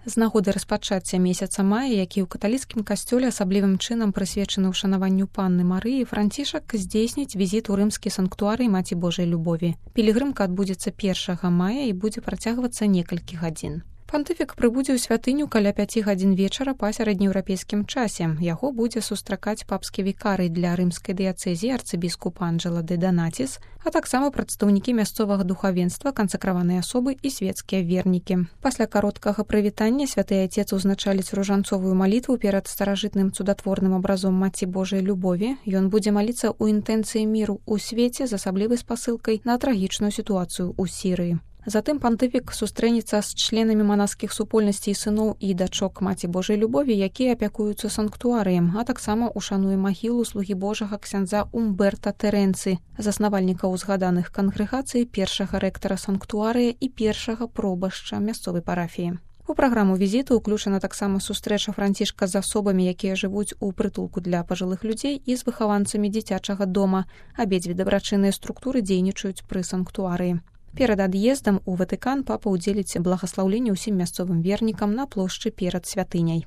З нагоды распачацця месяца мая, які ў каталіцкім касцёле асаблівым чынам прысвечаны ўшанаванню Панны Марыі, Францішак здзейсніць візіт у рымскі санктуарый Маці Божай любові. Пілігрымка адбудзецца 1 мая і будзе працягвацца некалькі гадзін. Пантыфік прыбудзе ў святыню каля 5 гадзін вечара па сярэднееўрапейскім часе. Яго будзе сустракаць папскі вікарый для рымскай дыяцэзіі арцыбіскуп Анджела де Донатис, а таксама прадстаўнікі мясцовага духавенства, кансакраваныя асобы і свецкія вернікі. Пасля кароткага прывітання святы айцец узначаліць ружанцовую малітву перад старажытным цудатворным абразом Маці Божай любові. Ён будзе маліцца ў інтэнцыі міру ў свеце з асаблівай спасылкай на трагічную сітуацыю ў Сірыі. Затым пантыфік сустрэнецца з членамі манаскіх супольнасцей сыноў і дачок Маці Божай любові, якія апякуюцца санктуарыем, а таксама ушануе магілу слугі Божага ксяндза Умберта Тэрэнцы, заснавальніка узгаданых кангрэгацый, першага рэктара санктуарыя і першага пробашча мясцовай парафіі. У праграму візіту ўключана таксама сустрэча Францішка з асобамі, якія жывуць у прытулку для пажылых людзей і з выхаванцамі дзіцячага дома. Абедзве дабрачынныя структуры дзейнічаюць пры санктуарыі. Перад ад'ездам у Ватыкан папа ўдзеліць благаслаўленне ўсім мясцовым вернікам на плошчы перад святыняй.